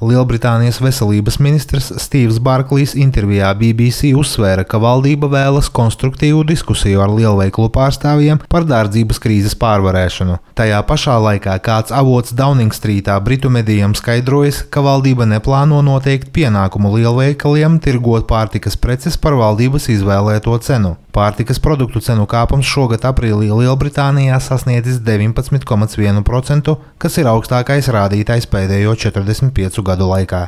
Lielbritānijas veselības ministrs Stīvs Barklīs intervijā BBC uzsvēra, ka valdība vēlas konstruktīvu diskusiju ar lielveikalu pārstāvjiem par dārdzības krīzes pārvarēšanu. Tajā pašā laikā kāds avots Downing Streetā britu medijiem skaidrojas, ka valdība neplāno noteikt pienākumu lielveikaliem tirgot pārtikas preces par valdības izvēlēto cenu. Pārtikas produktu cenu kāpums šogad aprīlī Lielbritānijā sasniedzis 19,1%, kas ir augstākais rādītājs pēdējo 45 gadu laikā.